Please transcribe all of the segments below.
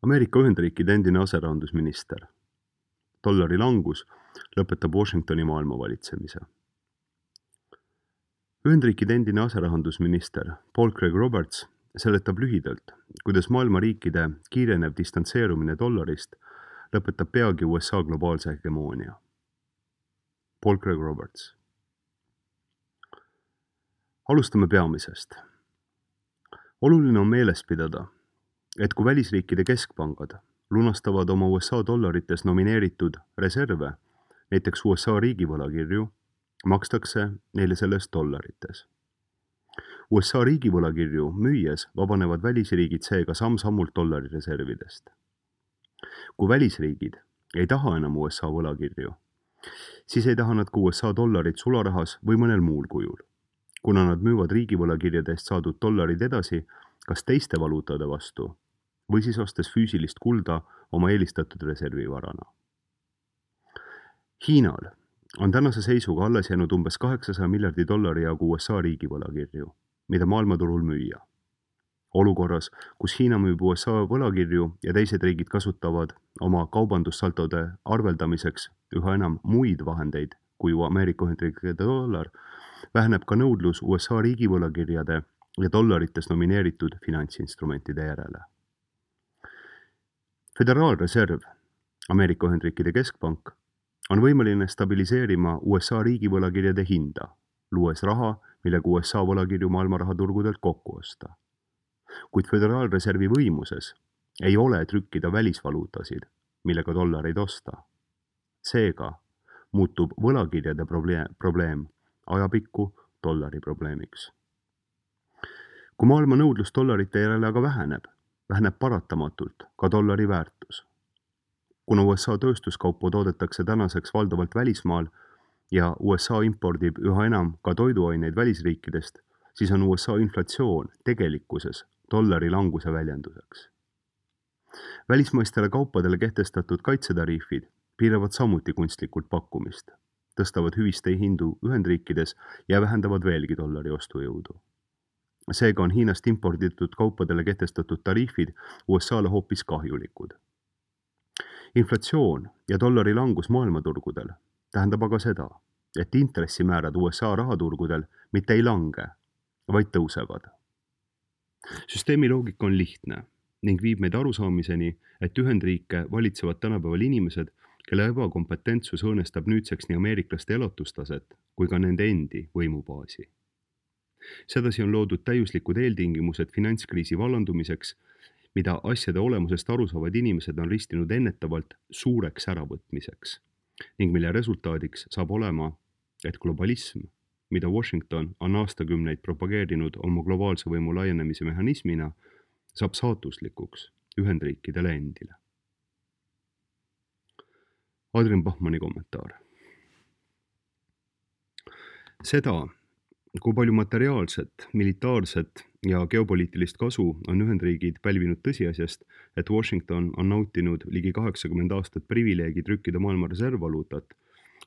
Ameerika Ühendriikide endine aserahandusminister. Dollari langus lõpetab Washingtoni maailma valitsemise. Ühendriikide endine aserahandusminister Paul Craig Roberts seletab lühidalt, kuidas maailma riikide kiirenev distantseerumine dollarist lõpetab peagi USA globaalse hegemoonia. Paul Craig Roberts. Alustame peamisest. Oluline on meeles pidada, et kui välisriikide keskpangad lunastavad oma USA dollarites nomineeritud reserve, näiteks USA riigivõlakirju, makstakse neile sellest dollarites. USA riigivõlakirju müües vabanevad välisriigid seega samm-sammult dollari reservidest. Kui välisriigid ei taha enam USA võlakirju, siis ei taha nad ka USA dollarit sularahas või mõnel muul kujul, kuna nad müüvad riigivõlakirjade eest saadud dollarid edasi kas teiste valuutade vastu või siis ostes füüsilist kulda oma eelistatud reservivarana. Hiinal on tänase seisuga alles jäänud umbes 800 miljardi dollari jagu USA riigivõlakirju, mida maailmaturul müüa. Olukorras, kus Hiina müüb USA võlakirju ja teised riigid kasutavad oma kaubandussaltode arveldamiseks üha enam muid vahendeid kui Ameerika Ühendriikide dollar, väheneb ka nõudlus USA riigivõlakirjade ja dollarites nomineeritud finantsinstrumentide järele. Föderaalreserv, Ameerika Ühendriikide keskpank, on võimeline stabiliseerima USA riigivõlakirjade hinda, luues raha, millega USA võlakirju maailma rahaturgudelt kokku osta. Kuid Föderaalreservi võimuses ei ole trükkida välisvaluutasid, millega dollareid osta. Seega muutub võlakirjade probleem ajapikku dollari probleemiks. Kui maailma nõudlus dollarite järele aga väheneb paratamatult ka dollari väärtus. Kuna USA tööstuskaupu toodetakse tänaseks valdavalt välismaal ja USA impordib üha enam ka toiduaineid välisriikidest, siis on USA inflatsioon tegelikkuses dollari languse väljenduseks. Välismaistele kaupadele kehtestatud kaitsetariifid piiravad samuti kunstlikult pakkumist, tõstavad hüviste hindu Ühendriikides ja vähendavad veelgi dollari ostujõudu. Seega on Hiinast imporditud kaupadele kehtestatud tariifid USA-le hoopis kahjulikud. Inflatsioon ja dollari langus maailmaturgudel tähendab aga seda, et intressimäärad USA rahaturgudel mitte ei lange, vaid tõusevad. Süsteemi loogika on lihtne ning viib meid arusaamiseni, et Ühendriike valitsevad tänapäeval inimesed, kelle ebakompetentsus õõnestab nüüdseks nii ameeriklaste elatustaset kui ka nende endi võimubaasi. Sedasi on loodud täiuslikud eeltingimused finantskriisi vallandumiseks, mida asjade olemusest aru saavad inimesed on ristinud ennetavalt suureks äravõtmiseks ning mille resultaadiks saab olema, et globalism, mida Washington on aastakümneid propageerinud oma globaalse võimu laienemise mehhanismina, saab saatuslikuks Ühendriikidele endile. Adrian Bachmanni kommentaar. Seda, kui palju materiaalset, militaarset ja geopoliitilist kasu on Ühendriigid pälvinud tõsiasjast, et Washington on nautinud ligi 80 aastat privileegi trükkida maailma reservvaluutat,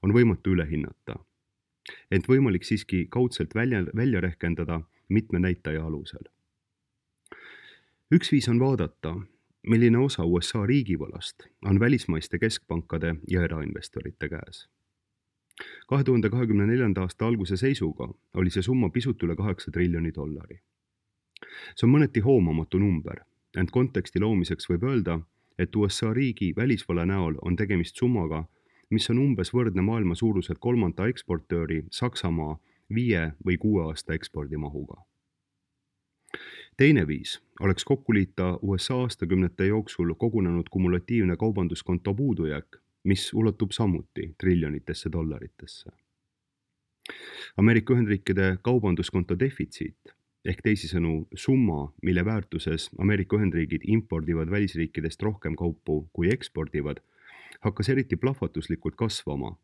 on võimatu üle hinnata. Ent võimalik siiski kaudselt välja rehkendada mitme näitaja alusel. Üks viis on vaadata, milline osa USA riigivõlast on välismaiste keskpankade ja erainvestorite käes. 2024. aasta alguse seisuga oli see summa pisut üle 8 triljoni dollari. See on mõneti hoomamatu number, ent konteksti loomiseks võib öelda, et USA riigi välisvõla näol on tegemist summaga, mis on umbes võrdne maailma suuruselt 3. eksportööri Saksamaa 5 või 6 aasta ekspordimahuga. Teine viis oleks kokku liita USA aastakümnete jooksul kogunenud kumulatiivne kaubanduskonto puudujääk, mis ulatub samuti triljonitesse dollaritesse. Ameerika Ühendriikide kaubanduskonto defitsiit ehk teisisõnu summa, mille väärtuses Ameerika Ühendriigid impordivad välisriikidest rohkem kaupu kui ekspordivad, hakkas eriti plahvatuslikult kasvama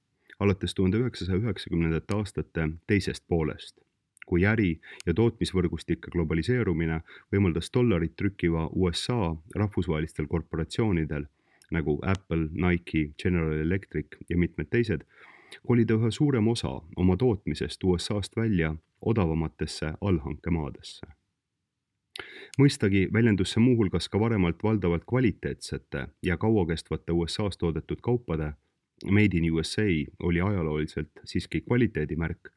alates 1990. aastate teisest poolest, kui äri- ja tootmisvõrgustike globaliseerumine võimaldas dollarit trükkiva USA rahvusvahelistel korporatsioonidel nagu Apple, Nike, General Electric ja mitmed teised, kolida üha suurem osa oma tootmisest USA-st välja odavamatesse allhankemaadesse. Mõistagi väljendus see muuhulgas ka varemalt valdavalt kvaliteetsete ja kauakestvate USA's toodetud kaupade Made in USA oli ajalooliselt siiski kvaliteedimärk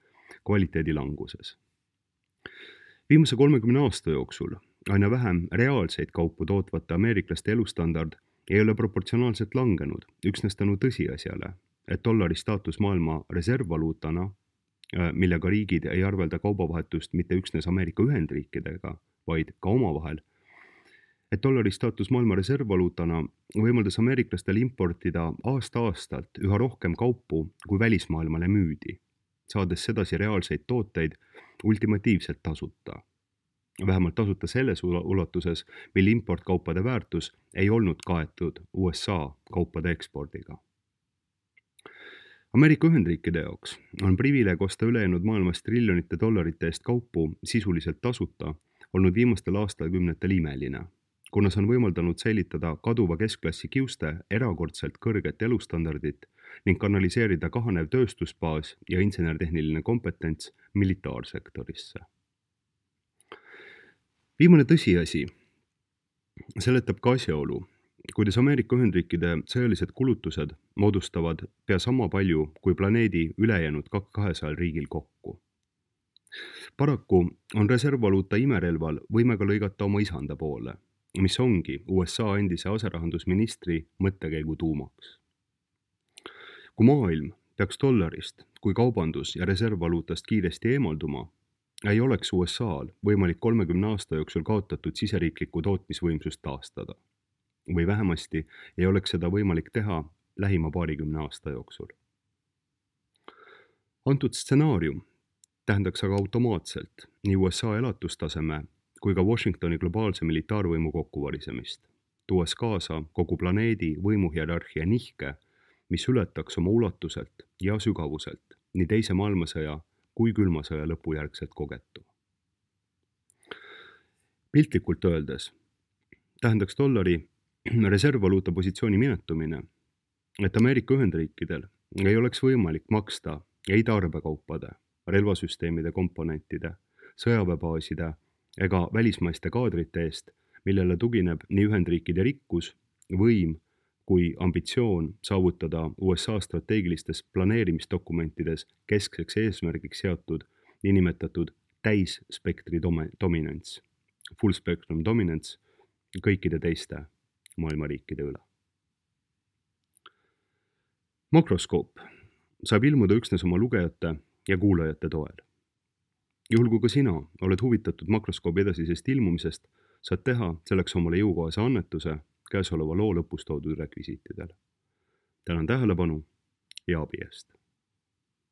kvaliteedi languses. Viimase 30 aasta jooksul aina vähem reaalseid kaupu tootvate ameeriklaste elustandard ei ole proportsionaalselt langenud, üksnes tänu tõsiasjale, et dollari staatus maailma reservvaluutana, millega riigid ei arvelda kaubavahetust mitte üksnes Ameerika Ühendriikidega, vaid ka omavahel, et dollari staatus maailma reservvaluutana võimaldas ameeriklastel importida aasta-aastalt üha rohkem kaupu, kui välismaailmale müüdi, saades sedasi reaalseid tooteid ultimatiivselt tasuta. Vähemalt tasuta selles ulatuses, mil importkaupade väärtus ei olnud kaetud USA kaupade ekspordiga. Ameerika Ühendriikide jaoks on privileeg osta ülejäänud maailmas triljonite dollarite eest kaupu sisuliselt tasuta olnud viimastel aastakümnetel imeline, kuna see on võimaldanud säilitada kaduva keskklassi kiuste erakordselt kõrget elustandardit ning kanaliseerida kahanev tööstusbaas ja insenertehniline kompetents militaarsektorisse. Viimane tõsiasi seletab ka asjaolu, kuidas Ameerika Ühendriikide sõjalised kulutused moodustavad pea sama palju kui planeedi ülejäänud 200 riigil kokku. Paraku on reservvaluuta imerelval võimega lõigata oma isanda poole, mis ongi USA endise aserahandusministri mõttekäigu tuumaks. Kui maailm peaks dollarist kui kaubandus- ja reservvaluutast kiiresti eemalduma, ei oleks USA'l võimalik 30 aasta jooksul kaotatud siseriiklikku tootmisvõimsust taastada. Või vähemasti ei oleks seda võimalik teha lähima 20 aasta jooksul. Antud stsenaarium tähendaks aga automaatselt nii USA elatustaseme kui ka Washingtoni globaalse militaarvõimu kokkuvarisemist, tuues kaasa kogu planeedi võimuhierarhia nihke, mis ületaks oma ulatuselt ja sügavuselt nii teise maailmasõja kui külma sõja lõpujärgselt kogetu. Piltlikult öeldes tähendaks dollari reservvaluuta positsiooni minetumine, et Ameerika Ühendriikidel ei oleks võimalik maksta ei tarbekaupade, relvasüsteemide komponentide, sõjaväebaaside ega välismaiste kaadrite eest, millele tugineb nii Ühendriikide rikkus, võim kui ambitsioon saavutada USA strateegilistes planeerimisdokumentides keskseks eesmärgiks seatud niinimetatud täisspektri dominants, full spectrum dominance kõikide teiste maailma riikide üle. Makroskoop saab ilmuda üksnes oma lugejate ja kuulajate toel. Juhul kui ka sina oled huvitatud makroskoobi edasisest ilmumisest, saad teha selleks omale jõukohase annetuse käesoleva loo lõpus toodud rekvisiitidel. Tänan tähelepanu ja abi eest!